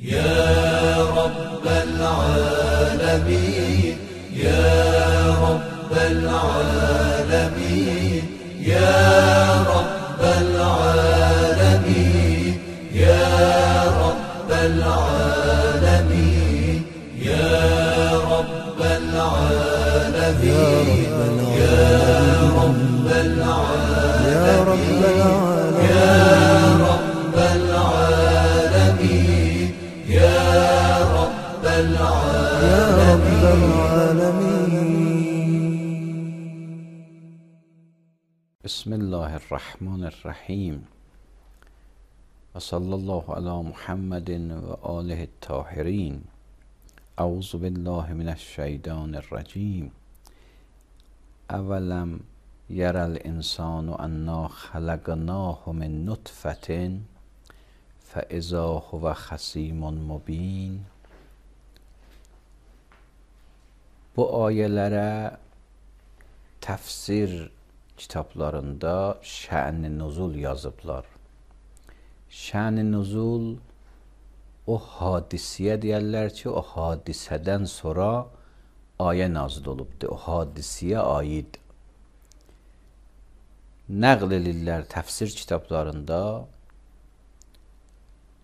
يا رب العالمين يا رب العالمين يا رب العالمين يا رب العالمين يا رب العالمين يا رب العالمين يا رب العالمين يا رب العالمين. بسم الله الرحمن الرحیم و صلی الله علی محمد و آله الطاهرین. اعوذ بالله من الشیطان الرجیم. اولم یری الانسان انا خلقناه من نطفة فاذا هو خصیم مبین. Bu ayələrə təfsir kitablarında şən-i nuzul yazıblar. Şən-i nuzul o hadisəyə deyərlər ki, o hadisədən sonra ayə nazil olubdur. O hadisəyə aid. Nəql edirlər təfsir kitablarında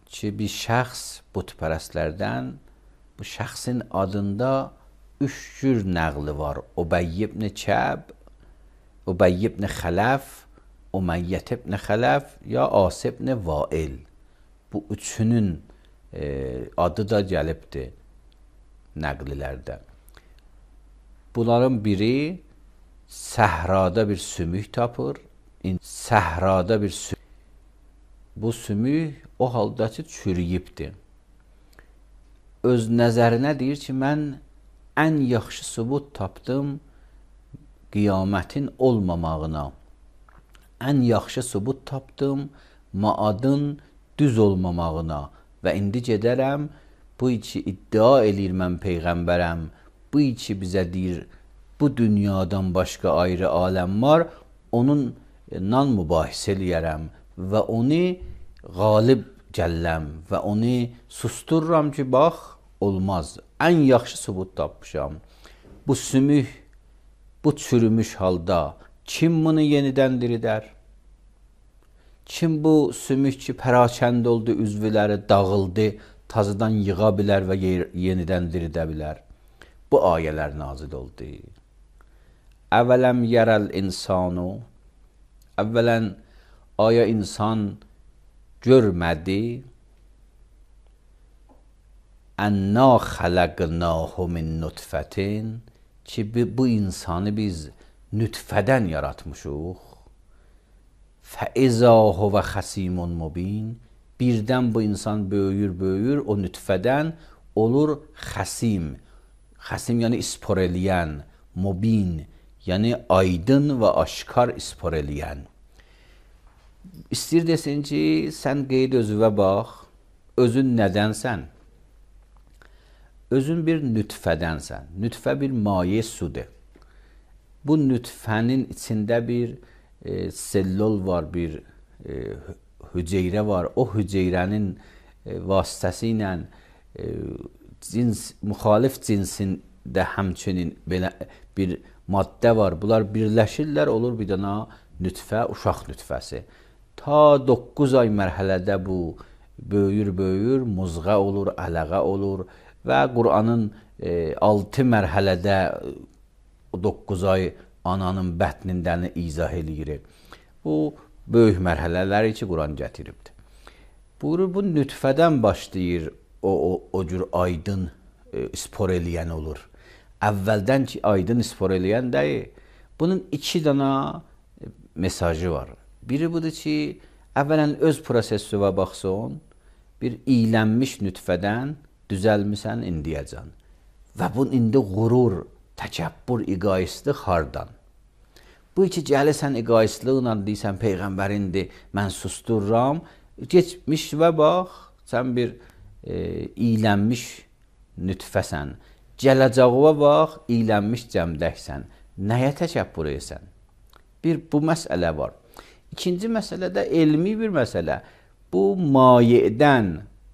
ki, bir şəxs bütpərəstlərdən bu şəxsin adında 3 cür nəqli var. Ubeyy ibn Kəb, Ubeyy ibn Xələf, Uməyyət ibn Xələf ya As ibn Vail. Bu üçünün adı da gəlibdir nəqlilərdə. Bunların biri səhrada bir sümük tapır. Səhrada bir sümük. Bu sümük o halda ki, çürüyübdir. Öz nəzərinə deyir ki, mən ən yaxşı sübut tapdım qiyamətin olmamağına. Ən yaxşı sübut tapdım maadın düz olmamağına. Və indi gedərəm, bu içi iddia eləyir mən Peyğəmbərəm, bu içi bizə deyir, bu dünyadan başqa ayrı aləm var, onunla mübahisə eləyərəm və onu qalib gəlləm və onu sustururam ki, bax, olmaz. Ən yaxşı sübut tapmışam. Bu sümük, bu çürümüş halda kim bunu yenidən diridər? Kim bu sümük ki, pərakənd oldu, üzvləri dağıldı, tazıdan yığa bilər və yenidən diridə bilər? Bu ayələr nazil oldu. Əvələm yərəl insanu, əvvələn aya insan görmədi, ənna xələqnahu min nutfətin, ki, bu insanı biz nütfədən yaratmışıq. Fəizə huvə xəsimun mubin, birdən bu insan böyür, o nütfədən olur xəsim. Xəsim yəni ispor eləyən, mubin, yəni aydın və aşkar ispor eləyən. İstir desin ki, sən qeyd özüvə bax, özün nədənsən? Özün bir nütfədənsən. Nütfə bir maye sudur. Bu nütfənin içində bir sellol var, bir hüceyrə var. O hüceyrənin vasitəsi ilə müxalif cinsində həmçinin belə bir maddə var. Bunlar birləşirlər, olur bir dana nütfə, uşaq nütfəsi. Ta 9 ay mərhələdə bu böyür, muzğa olur, ələğə olur və Qur'anın 6 mərhələdə 9 ay ananın bətnindən izah eləyir. Bu böyük mərhələləri ki, Qur'an gətiribdir. Buyurur, bu nütfədən başlayır, o cür aydın ispor eləyən olur. Əvvəldən ki, aydın ispor eləyən deyil. Bunun 2 dana mesajı var. Biri budur ki, əvvələn öz prosesüvə baxsın, bir iylənmiş nütfədən düzəlmisən indiyəcən. Və bunun indi qurur, təkəbbür, iqayislik hardan? Bu iki gəlisən iqayisliqlə deysən, Peyğəmbərindir, mən sustururam. Geçmiş və bax, sən bir iylənmiş nütfəsən. Gələcəğə bax, iylənmiş cəmdəksən. Nəyə təkəbbür esən? Bir, bu məsələ var. İkinci məsələ də elmi bir məsələ. Bu mayedən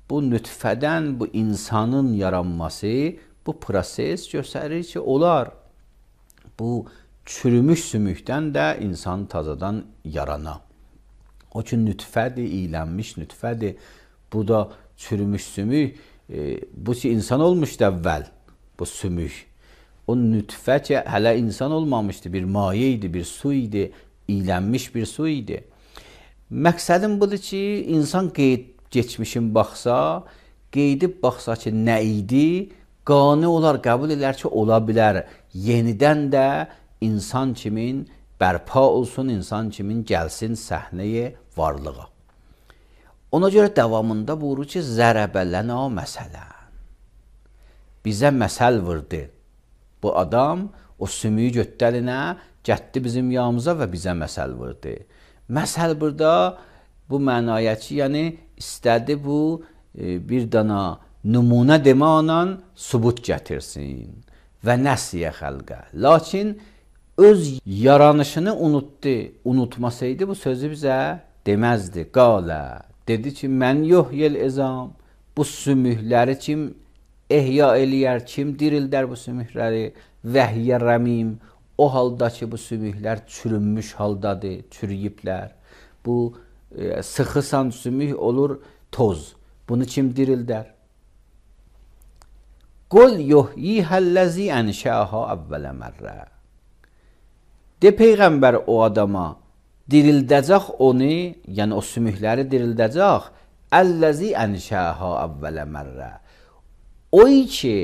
bu nütfədən bu insanın yaranması, bu proses göstərir ki, olar bu çürümüş sümükdən də insan tazadan yarana. O ki, nütfədir, iylənmiş nütfədir. Bu da çürümüş sümük. Bu ki, insan olmuşdu əvvəl, bu sümük. O nütfə ki, hələ insan olmamışdı, bir maye idi, bir su idi, iylənmiş bir su idi. Məqsədim budur ki, insan geçmişin baxsa, qeydib baxsa ki, nə idi, qani olar, qəbul edər ki, ola bilər. Yenidən də insan kimin bərpa olsun, insan kimin gəlsin səhnəyə varlığa. Ona görə davamında buyurur ki, zərəbələnə məsələn. Bizə məsəl vurdu. Bu adam o sümüyü götdəlinə gətdi bizim yanımıza və bizə məsəl vurdu. Məsəl burada bu mənaya ki, yəni istədi bu bir dana nümunə demələ sübut gətirsin və nəsiyə xəlqə. Lakin öz yaranışını unutdu. Unutmasaydı bu sözü bizə deməzdi. Qalə, dedi ki, mən yox yel ezam, bu sümükləri kim ehya eləyər, kim dirildər bu sümükləri? Vəhiyyə rəmim, o halda ki, bu sümüklər çürünmüş haldadır, çürüyüblər. Bu sıxısan sümük olur toz. Bunu kim dirildər? Qul yuhyihəl-ləzi ənşəha əvvələ mərrə. De Peyğəmbər o adama, dirildəcək onu, yəni o sümükləri dirildəcək, əlləzi ənşəha əvvələ mərrə. O ki,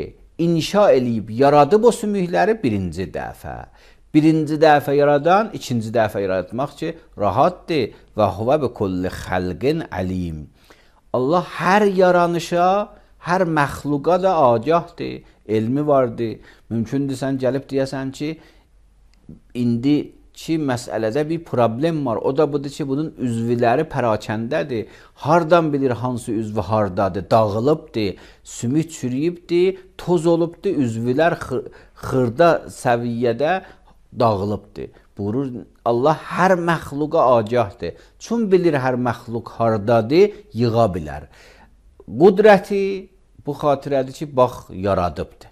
inşa eləyib, yaradıb o sümükləri birinci dəfə. Birinci dəfə yaradan, ikinci dəfə yaratmaq ki, rahatdır. Və huvə bi kulli xəlqin əlim. Allah hər yaranışa, hər məxluqa da agahdır, elmi vardır. Mümkündür sən gəlib deyəsən ki, indiki məsələdə bir problem var. O da budur ki, bunun üzvləri pərakəndədir. Hardan bilir hansı üzvü hardadır? Dağılıbdır, sümük çürüyübdür, toz olubdur, üzvlər xırda səviyyədə dağılıbdır. Buyurur, Allah hər məxluqa agahdır. Çün bilir hər məxluq hardadır, yığa bilər. Qudrəti bu xatirədir ki, bax, yaradıbdır.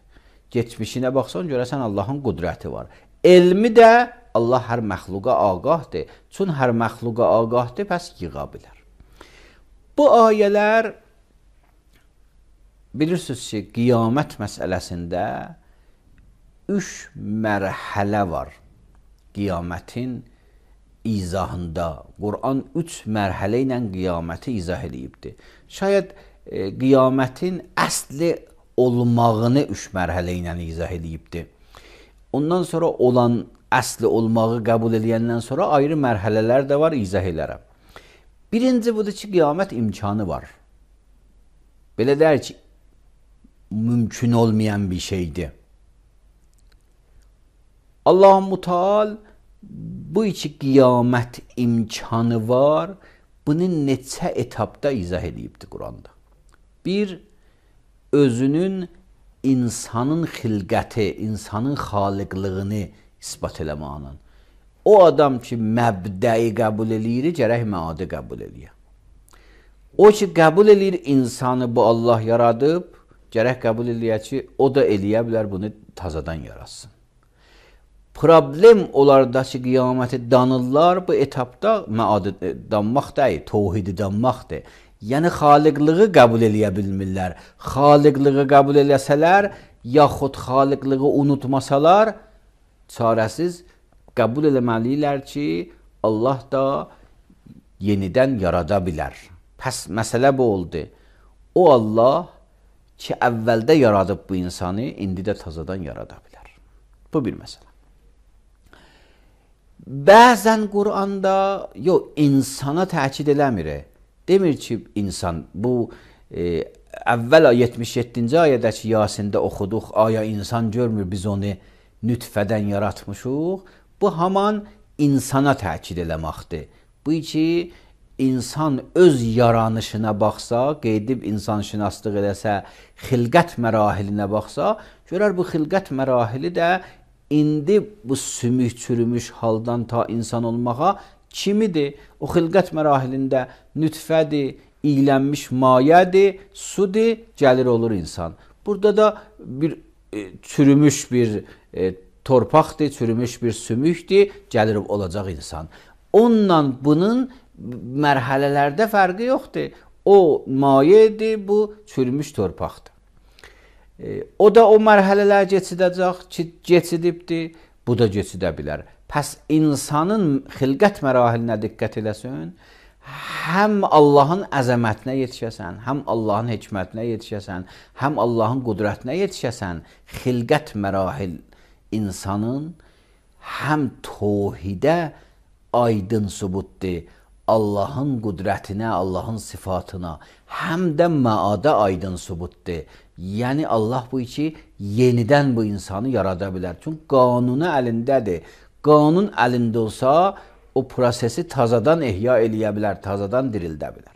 Geçmişinə baxsan, görəsən Allahın qudrəti var. Elmi də Allah hər məxluqa agahdır. Çün hər məxluqa agahdır, pəs yığa bilər. Bu ayələr bilirsiniz ki, qiyamət məsələsində 3 mərhələ var. Qiyamətin izahında. Quran 3 mərhələ ilə qiyaməti izah edibdir. Şayad qiyamətin əsli olmağını 3 mərhələ ilə izah edibdir. Ondan sonra olan əsli olmağı qəbul edəndən sonra ayrı mərhələlər də var, izah edərəm. Birinci budur ki, qiyamət imkanı var. Belə deyər ki, mümkün olmayan bir şeydir. Allah-u Müteal bu iki qiyamət imkanı var, bunu neçə etapda izah edibdir Quranda. Bir, özünün insanın xilqəti, insanın xaliqlığını isbat eləməklə. O adam ki, məbdəyi qəbul eləyir, gərək məadı qəbul eləyir. O ki, qəbul eləyir insanı bu Allah yaradıb, gərək qəbul eləyir ki, o da eləyə bilər bunu tazadan yaratsın. Problem olarda ki, qiyaməti danırlar, bu etapda məadı danmaq deyil, tohidi danmaqdır. Yəni, xaliqlığı qəbul eləyə bilmirlər. Xaliqlığı qəbul eləsələr, yaxud xaliqlığı unutmasalar, çarəsiz qəbul eləməliyirlər ki, Allah da yenidən yarada bilər. Pəs məsələ bu oldu. O Allah ki, əvvəldə yaradıb bu insanı, indi də tazadan yarada bilər. Bu bir məsələ. Bəzən Quranda insana təkid eləmir. Demir ki, insan, bu əvvəl 77-ci ayədəki Yasində oxuduq, aya insan görmür, biz onu nütfədən yaratmışıq. Bu haman insana təkid eləməkdir. Bu ki, insan öz yaranışına baxsa, qeydib insanşünaslıq eləsə, xilqət mərahilinə baxsa, görər bu xilqət mərahili də indi bu sümük çürümüş haldan ta insan olmağa kimidir? O xilqət mərahilində nütfədir, iylənmiş mayədir, sudur, gəlir olur insan. Burada da bir çürümüş bir torpaqdır, çürümüş bir sümükdür, gəlir olacaq insan. Onunla bunun mərhələlərdə fərqi yoxdur. O mayedir, bu çürümüş torpaqdır. O da o mərhələlər keçidibdir, bu da keçidə bilər. Pəs insanın xilqət mərahilinə diqqət eləsin, həm Allahın əzəmətinə yetişəsən, həm Allahın hikmətinə yetişəsən, həm Allahın qudrətinə yetişəsən, xilqət mərahil insanın həm tohidə aydın sübutdur, Allahın qudrətinə, Allahın sifatına, həm də məada aydın sübutdur. Yəni Allah bu iki yenidən bu insanı yarada bilər. Çünki qanunu əlindədir. Qanun əlində olsa o prosesi tazadan ehya eləyə bilər, tazadan dirildə bilər.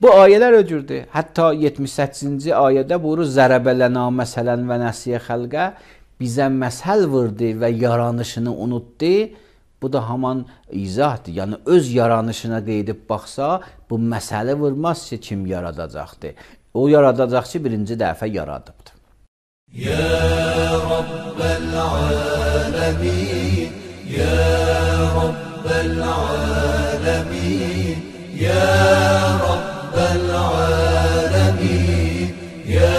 Bu ayələr öcürdür. Hətta 78-ci ayədə buyurur, zərəbələnə məsələn və nəsiyə xəlqə, bizə məsəl vurdu və yaranışını unutdu. Bu da haman izahdır. Yəni öz yaranışına qeydib baxsa, bu məsələ vurmaz ki, kim yaradacaqdır. O yaradacaq ki, birinci dəfə yaradıbdır. Ya Rabbel alemin, Ya Rabbel alemin, Ya Rabbel alemin, Ya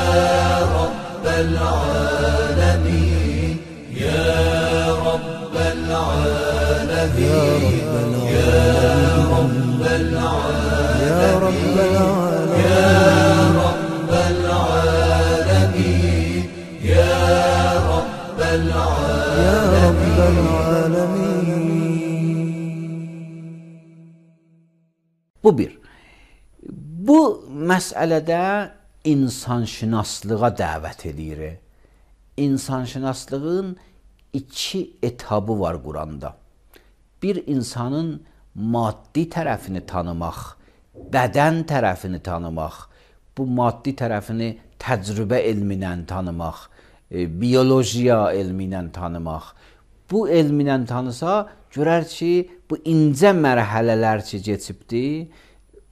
Rabbel alemin, Ya Rabbel alemin, Ya Rabbel alemin, Ya Rabbel alemin, Ya Rabbel alemin, Ya Rabbel alemin. Bu bir. Bu məsələdə insanşünaslığa dəvət edir. İnsanşünaslığın iki etabı var Quranda. Bir insanın maddi tərəfini tanımaq, bədən tərəfini tanımaq, bu maddi tərəfini təcrübə elminə tanımaq, biyolojiya elminə tanımaq. Bu elminə tanısa, görər ki, bu incə mərhələlər ki, keçibdir,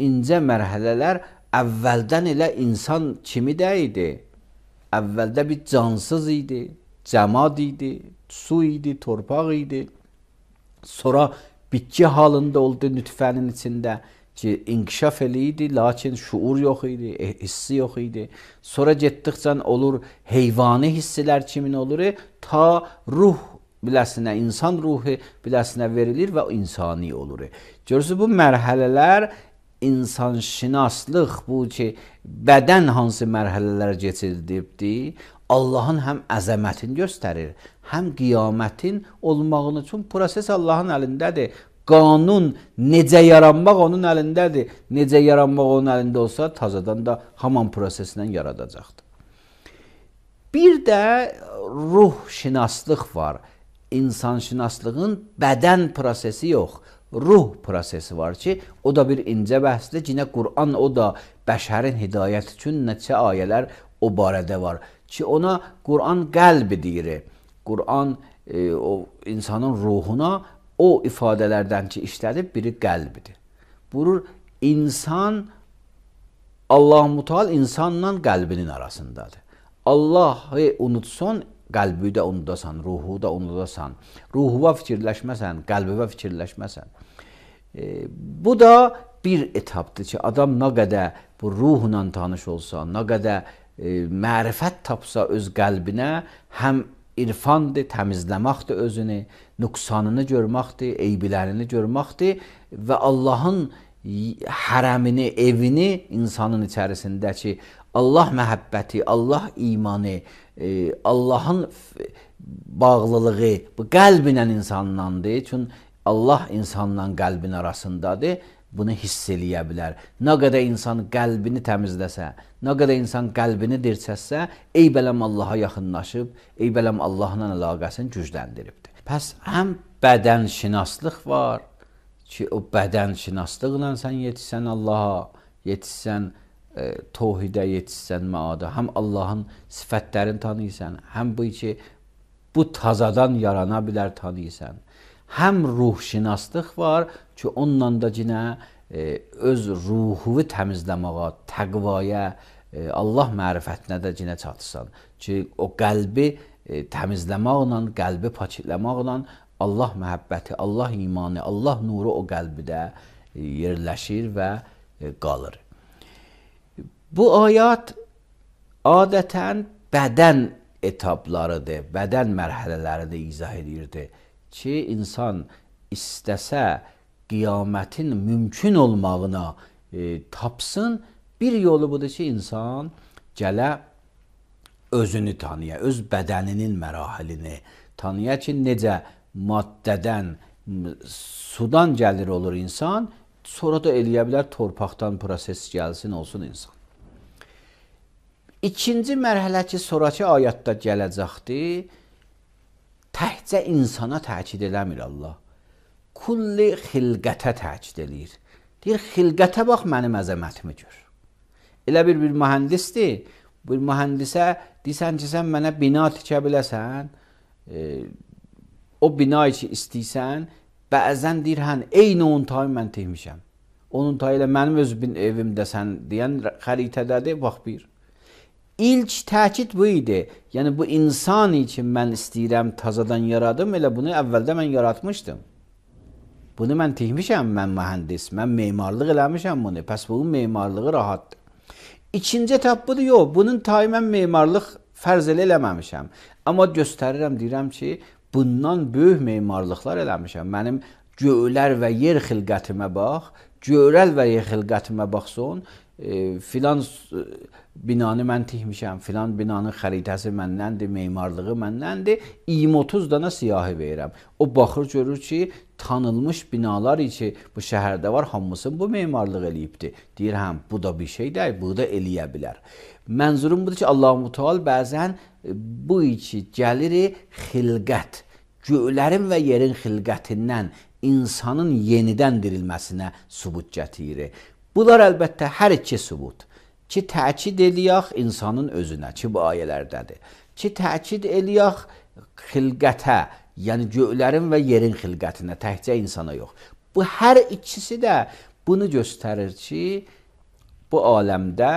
incə mərhələlər əvvəldən elə insan kimi də idi. Əvvəldə bir cansız idi, cəmad idi, su idi, torpaq idi. Sonra bitki halında oldu nütfənin içində ki, inkişaf eləyirdi, lakin şuur yox idi, hissi yox idi. Sonra getdikcə olur, heyvani hisslər kimin olur, ta ruh biləsinə, insan ruhu biləsinə verilir və insani olur. Görürsünüz, bu mərhələlər insanşünaslıq, bu ki, bədən hansı mərhələlər keçirdibdir, Allahın həm əzəmətini göstərir, həm qiyamətin olmağını. Çünki proses Allahın əlindədir. Qanun necə yaranmaq onun əlindədir. Necə yaranmaq onun əlində olsa, tazadan da haman prosesindən yaradacaqdır. Bir də ruhşünaslıq var. İnsanşünaslığın bədən prosesi yox, ruh prosesi var ki, o da bir incə bəhsdir. Yine Qur'an o da bəşərin hidayət üçün neçə ayələr o barədə var ki, ona Qur'an qəlbi deyir. Qur'an o insanın ruhuna o ifadələrdən ki, işlədib biri qəlbidir. Buyurur, insan Allah-u Muteal insanla qəlbinin arasındadır. Allah'ı unutsan, qəlbi də unudasan, ruhu da unudasan. Ruhuva fikirləşməsən, qəlbivə fikirləşməsən. Bu da bir etapdır ki, adam nə qədər bu ruhla tanış olsa, nə qədər mərifət tapsa öz qəlbinə, həm irfandır, təmizləməkdir özünü, nüqsanını görməkdir, eybilərini görməkdir və Allahın hərəmini, evini insanın içərisindəki Allah məhəbbəti, Allah imanı, Allahın bağlılığı bu qəlbinlə insanlandır. Çünki Allah insanla qəlbin arasındadır. Bunu hiss eləyə bilər. Nə qədər insan qəlbini təmizləsə, nə qədər insan qəlbini dirçəsə, ey bələm Allaha yaxınlaşıb, ey bələm Allahla əlaqəsini gücləndiribdir. Pəs həm bədənşünaslıq var ki, o bədənşünaslıqla sən yetişsən Allaha, yetişsən tohidə, yetişsən məada, həm Allahın sifətlərini tanıyırsan, həm bu ki, bu tazadan yarana bilər tanıyırsan. Həm ruhşünaslıq var ki, onunla da yine öz ruhunu təmizləməyə, təqvaya, Allah mərifətinə də cinə çatırsan ki, o qəlbi təmizləməklə, qəlbi paketləməklə Allah məhəbbəti, Allah imanı, Allah nuru o qəlbidə yerləşir və qalır. Bu ayət adətən bədən etaplarıdır, bədən mərhələlərini izah edirdi ki, insan istəsə qiyamətin mümkün olmağına tapsın, bir yolu budur ki, insan gələ özünü tanıya, öz bədəninin mərahilini tanıya ki, necə maddədən, sudan gəlir olur insan, sonra da eləyə bilər torpaqdan proses gəlsin, olsun insan. İkinci mərhələ ki, sonraki ayətdə gələcəkdir, təhcə insana təkid eləmir Allah. Kulli xilqətə təkid eləyir. Deyir, xilqətə bax, mənim əzəmətimi gör. Elə bir mühəndisdir, bir mühəndisə deyirsən ki, sən mənə bina tikə biləsən, o bina ki istəyirsən, bəzən deyir, eyni onun tayı mən tehmişəm. Onun tayı ilə mənim öz evimdə sən deyən xəritədədir, bax bir. İlk təkid bu idi. Yəni, bu insan üçün mən istəyirəm, tazadan yaradım, elə bunu əvvəldə mən yaratmışdım. Bunu mən tehmişəm, mən mühəndis, mən memarlıq eləmişəm bunu. Pəs bunun memarlığı rahatdır. İkinci etap budur, yox, bunun tayı mən memarlıq fərz eləməmişəm. Amma göstərirəm, deyirəm ki, bundan böyük memarlıqlar eləmişəm. Mənim göylər və yer xilqətimə bax, göylər və yer xilqətimə baxson, filan binanı mən tikmişəm, filan binanın xəritəsi məndəndir, memarlığı məndəndir, 20-30 dana siyahı verirəm. O baxır, görür ki, tanınmış binalar ki, bu şəhərdə var, hamısını bu memarlıq eləyibdir. Deyir, həm, bu da bir şey deyil, bu da eləyə bilər. Mənzurum budur ki, Allah-u Teala bəzən bu ki, gəlir xilqət, göylərin və yerin xilqətindən insanın yenidən dirilməsinə sübut gətirir. Bunlar əlbəttə hər iki sübut. Ki, təkid eləyək insanın özünə, ki, bu ayələrdədir. Ki, təkid eləyək xilqətə, yəni göylərin və yerin xilqətinə, təkcə insana yox. Bu hər ikisi də bunu göstərir ki, bu aləmdə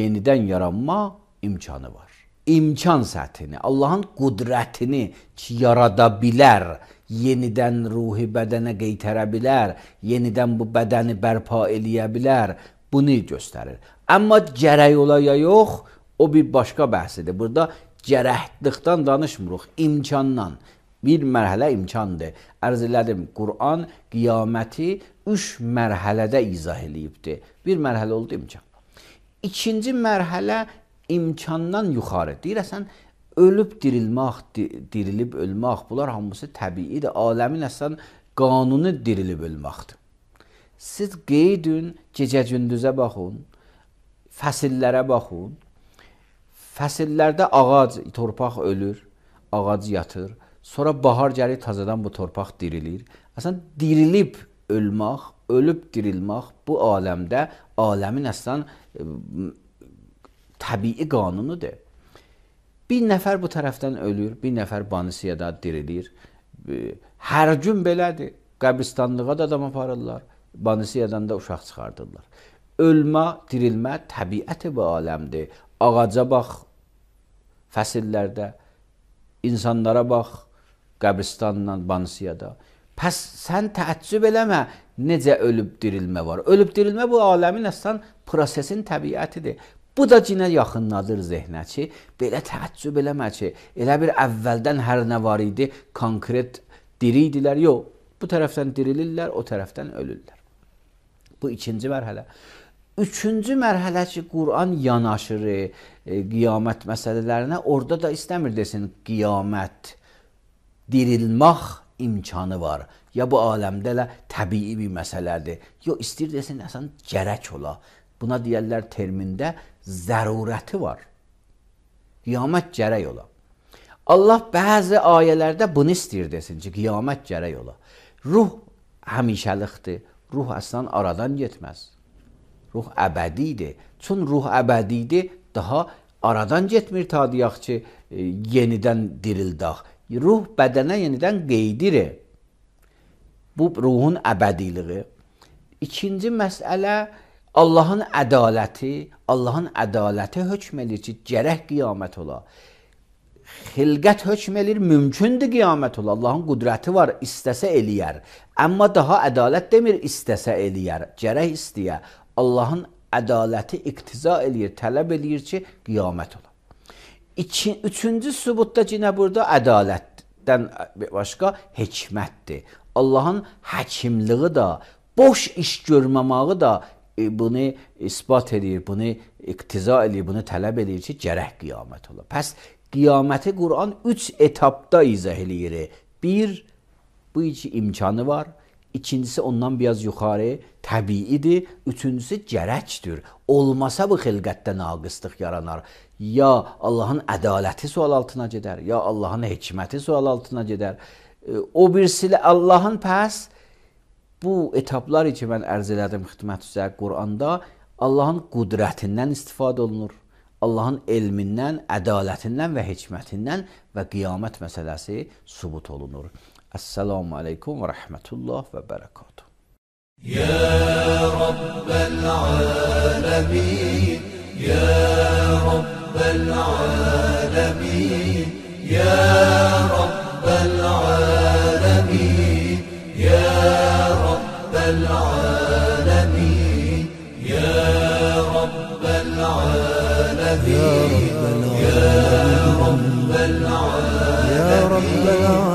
yenidən yaranma imkanı var. İmkan səthini, Allahın qudrətini ki, yarada bilər, yenidən ruhi bədənə qeytərə bilər, yenidən bu bədəni bərpa eləyə bilər, bunu göstərir. Amma gərək ola ya yox, o bir başqa bəhsidir. Burada gərəklikdən danışmırıq, imkandan. Bir mərhələ imkandır. Ərz elədim, Qur'an qiyaməti 3 mərhələdə izah eləyibdir. Bir mərhələ oldu imkan. İkinci mərhələ imkandan yuxarı. Deyirəsən, ölüb dirilmək, dirilib ölmək, bunlar hamısı təbiidir. Aləmin əslən qanunu dirilib ölməkdir. Siz qeydün, gecə-gündüzə baxın, fəsillərə baxın. Fəsillərdə ağac, torpaq ölür, ağac yatır. Sonra bahar gəlir, tazadan bu torpaq dirilir. Əslən, dirilib ölmək, ölüb dirilmək bu aləmdə, aləmin əslən təbii qanunudur. Bir nəfər bu tərəfdən ölür, bir nəfər Banisiyada dirilir. Hər gün belədir. Qəbristanlığa da adam aparırlar. Banisiyadan da uşaq çıxardırlar. Ölmə, dirilmə təbiəti bu aləmdir. Ağaca bax, fəsillərdə, insanlara bax, qəbristanla, Banisiyada. Pəs sən təəccüb eləmə, necə ölüb dirilmə var. Ölüb dirilmə bu aləmin əslən prosesin təbiətidir. Bu da cinə yaxınladır zehnə ki, belə təəccüb eləmə ki, elə bir əvvəldən hər nə var idi, konkret diri idilər. Yox, bu tərəfdən dirilirlər, o tərəfdən ölürlər. Bu ikinci mərhələ. Üçüncü mərhələ ki, Qur'an yanaşır qiyamət məsələlərinə, orada da istəmir desin, qiyamət, dirilmək imkanı var. Ya bu aləmdə elə təbii bir məsələdir. Yox, istəyir desin, əsən gərək ola. Buna deyərlər termində zərurəti var. Qiyamət gərək ola. Allah bəzi ayələrdə bunu istəyir desin ki, qiyamət gərək ola. Ruh həmişəlikdir. Ruh əslən aradan getməz. Ruh əbədidir. Çün ruh əbədidir, daha aradan getmir ta deyək ki, yenidən dirildək. Ruh bədənə yenidən qeydirir. Bu ruhun əbədiliği. İkinci məsələ Allahın ədaləti hökm edir ki, gərək qiyamət ola. Xilqət hökm edir, mümkündür qiyamət ola. Allahın qüdrəti var, istəsə eləyər. Amma daha ədalət demir, istəsə eləyər, gərək istəyə. Allahın ədaləti iqtiza eləyir, tələb eləyir ki, qiyamət ola. Üçüncü sübutda yenə burada ədalətdən başqa hikmətdir. Allahın həkimliyi da, boş iş görməməyi da bunu isbat edir, bunu iqtiza edir, bunu tələb edir ki, gərək qiyamət ola. Pəs qiyaməti Quran 3 etapda izah eləyir. Bir, bu iki imkanı var. İkincisi ondan biraz yuxarı, təbiidir. Üçüncüsü gərəkdir. Olmasa bu xilqətdə naqıslıq yaranar. Ya Allahın ədaləti sual altına gedər, ya Allahın hikməti sual altına gedər. O birisi Allahın pəs bu etaplar ki, mən ərz elədim xidmət üzrə Quranda Allahın qüdrətindən istifadə olunur. Allahın elmindən, ədalətindən və hikmətindən və qiyamət məsələsi sübut olunur. Esselamu aleykum və rəhmətullah və bərəkatuhu. Ya Rabbel alemin, Ya Rabbel alemin, Ya Rabbel alemin, Ya Rabbel alemin, Ya Rabbel alemin, Ya Rabbel alemin, Ya Rabbel alemin.